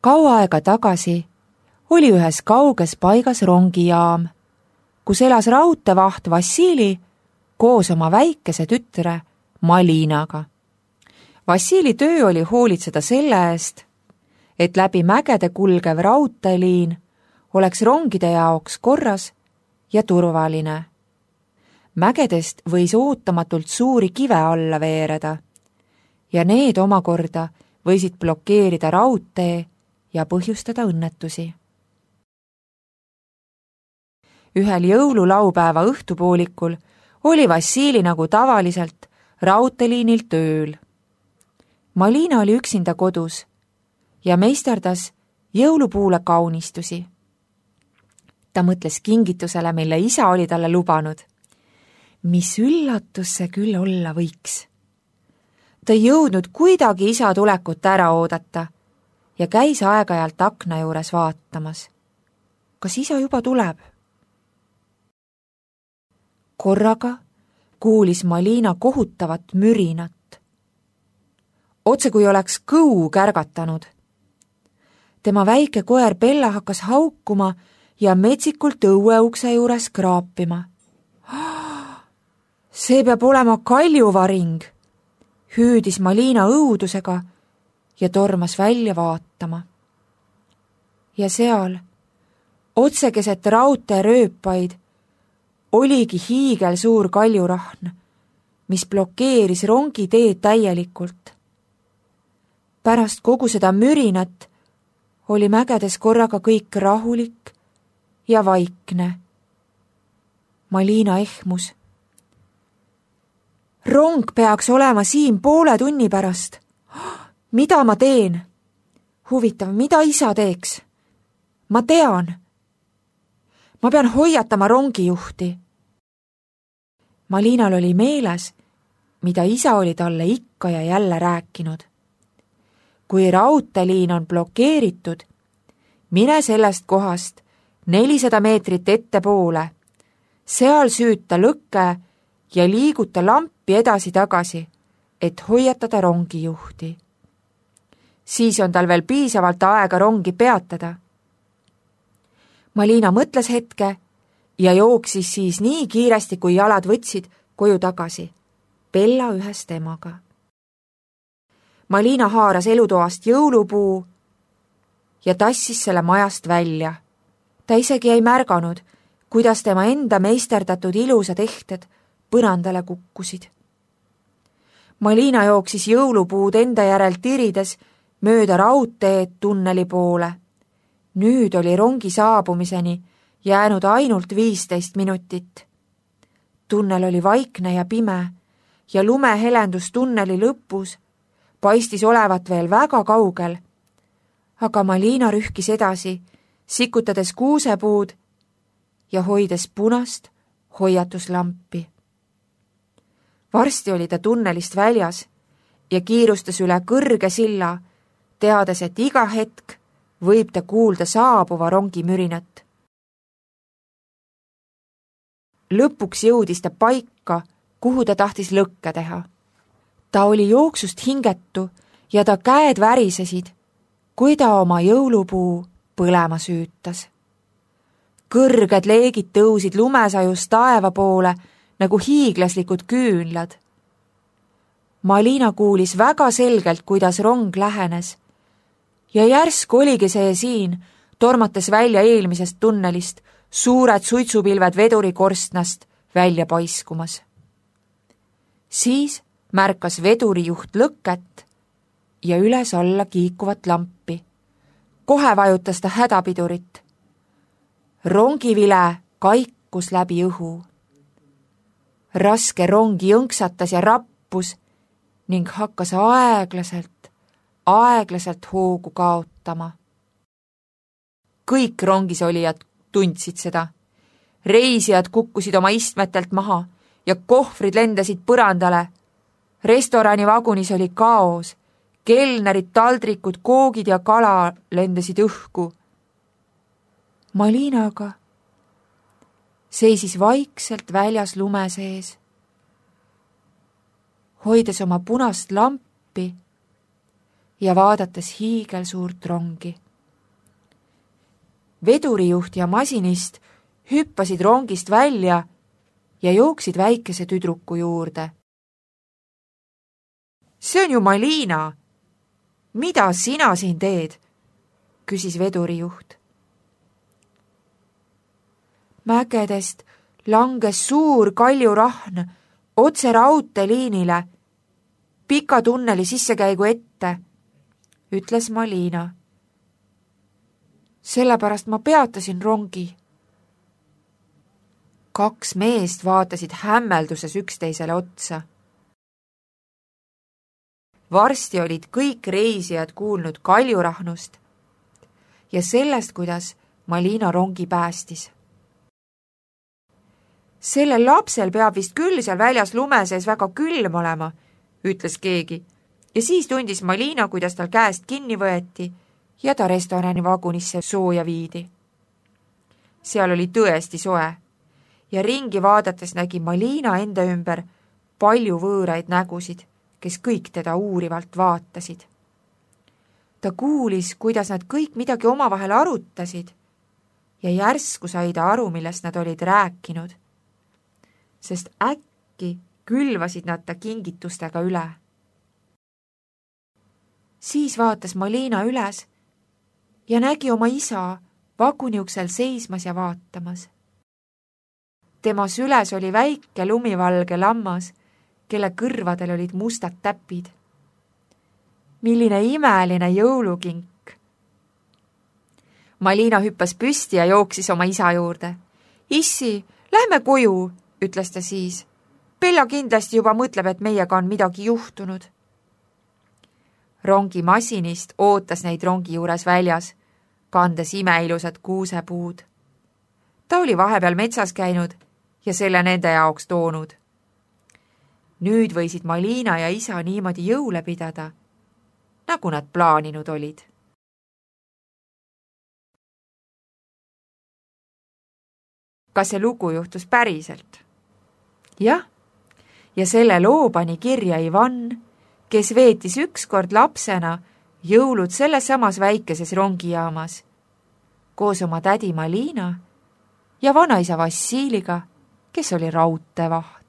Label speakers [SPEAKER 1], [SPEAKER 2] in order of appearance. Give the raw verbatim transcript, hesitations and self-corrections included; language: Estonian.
[SPEAKER 1] Kaua aega tagasi oli ühes kauges paigas rongijaam, kus elas raudteevaht Vassili koos oma väikese tütre Malinaga. Vassili töö oli hoolitseda selle eest, et läbi mägede kulgev raudteeliin oleks rongide jaoks korras ja turvaline. Mägedest võis ootamatult suuri kive alla veereda ja need omakorda võisid blokeerida raudtee ja põhjustada õnnetusi. Ühel jõululaupäeva õhtupoolikul oli Vassili nagu tavaliselt raudteeliinil tööl. Malina oli üksinda kodus ja meisterdas jõulupuule kaunistusi. Ta mõtles kingitusele, mille isa oli talle lubanud. Mis üllatus see küll olla võiks. Ta ei jõudnud kuidagi isa tulekut ära oodata ja käis aeg-ajalt akna juures vaatamas. Kas isa juba tuleb? Korraga kuulis Malina kohutavat mürinat. Otse kui oleks kõu kärgatanud. Tema väike koer Bella hakkas haukuma ja metsikult õueukse juures kraapima. See peab olema kaljuvaring, hüüdis Malina õudusega ja tormas välja vaatama. Ja seal, otse keset raudteerööpaid, oligi hiigel suur kaljurahn, mis blokeeris rongi teed täielikult. Pärast kogu seda mürinat oli mägedes korraga kõik rahulik ja vaikne. Malina ehmus. Rong peaks olema siin poole tunni pärast. Mida ma teen? Huvitav, mida isa teeks? Ma tean. Ma pean hoiatama rongijuhti. Malinal oli meeles, mida isa oli talle ikka ja jälle rääkinud. Kui raudteeliin on blokeeritud, mine sellest kohast nelisada meetrit ettepoole, seal süüta lõkke ja liiguta lampi edasi-tagasi, et hoiatada rongijuhti. Siis on tal veel piisavalt aega rongi peatada. Malina mõtles hetke ja jooksis siis nii kiiresti, kui jalad võtsid koju tagasi, Bella ühes temaga. Malina haaras elutoast jõulupuu ja tassis selle majast välja. Ta isegi ei märganud, kuidas tema enda meisterdatud ilusad ehted põrandale kukkusid. Malina jooksis jõulupuud enda järel tirides mööda raudteed tunneli poole. Nüüd oli rongi saabumiseni jäänud ainult viisteist minutit. Tunnel oli vaikne ja pime ja lumehelendus tunneli lõpus paistis olevat veel väga kaugel, aga Malina rühkis edasi, sikutades kuusepuud ja hoides punast hoiatuslampi. Varsti oli ta tunnelist väljas ja kiirustas üle kõrge silla, teades, et iga hetk võib ta kuulda saabuva rongi mürinat. Lõpuks jõudis ta paika, kuhu ta tahtis lõkke teha. Ta oli jooksust hingetu ja ta käed värisesid, kui ta oma jõulupuu põlema süütas. Kõrged leegid tõusid lumesajust taeva poole nagu hiiglaslikud küünlad. Malina kuulis väga selgelt, kuidas rong lähenes ja järsk oligi see siin, tormates välja eelmisest tunnelist, suured suitsupilved vedurikorstnast välja paiskumas. Siis märkas vedurijuht lõket ja üles alla kiikuvat lampi. Kohe vajutas ta hädapidurit. Rongivile kaikus läbi õhu. Raske rong jõnksatas ja rappus ning hakkas aeglaselt, aeglaselt hoogu kaotama. Kõik rongis olijad tundsid seda. Reisijad kukkusid oma istmetelt maha ja kohvrid lendasid põrandale. Restorani vagunis oli kaos. Kelnerid, taldrikud, koogid ja kala lendasid õhku. Malina aga seisis vaikselt väljas lume sees, hoides oma punast lampi ja vaadates hiigelsuurt rongi. vedurijuht ja masinist hüppasid rongist välja ja jooksid väikese tüdruku juurde. See on ju Malina. Mida sina siin teed? Küsis vedurijuht. Mägedest langes suur kaljurahn otse raudteeliinile, pika tunneli sissekäigu ette, ütles Malina. Sellepärast ma peatasin rongi. Kaks meest vaatasid hämmelduses üksteisele otsa. Varsti olid kõik reisijad kuulnud kaljurahnust ja sellest, kuidas Malina rongi päästis. Sellel lapsel peab vist küll seal väljas lume sees väga külm olema, ütles keegi, ja siis tundis Malina, kuidas tal käest kinni võeti ja ta restorani vagunisse sooja viidi. Seal oli tõesti soe ja ringi vaadates nägi Malina enda ümber palju võõraid nägusid, kes kõik teda uurivalt vaatasid. Ta kuulis, kuidas nad kõik midagi omavahel arutasid ja järsku sai ta aru, millest nad olid rääkinud, sest äkki külvasid nad ta kingitustega üle. Siis vaatas Malina üles ja nägi oma isa vaguniuksel seismas ja vaatamas. Tema süles oli väike lumivalge lammas, kelle kõrvadel olid mustad täpid. Milline imeline jõulukink! Malina hüppas püsti ja jooksis oma isa juurde. Issi, lähme koju, ütles ta siis. Bella kindlasti juba mõtleb, et meiega on midagi juhtunud. Rongi masinist ootas neid rongi juures väljas, kandes imeilusad kuusepuud. Ta oli vahepeal metsas käinud ja selle nende jaoks toonud. Nüüd võisid Malina ja isa niimoodi jõule pidada, nagu nad plaaninud olid. Kas see lugu juhtus päriselt? Jah, ja selle loo pani kirja Ivan, kes veetis ükskord lapsena jõulud selles samas väikeses rongijaamas koos oma tädi Malina ja vanaisa Vassiliga, kes oli raudteevaht.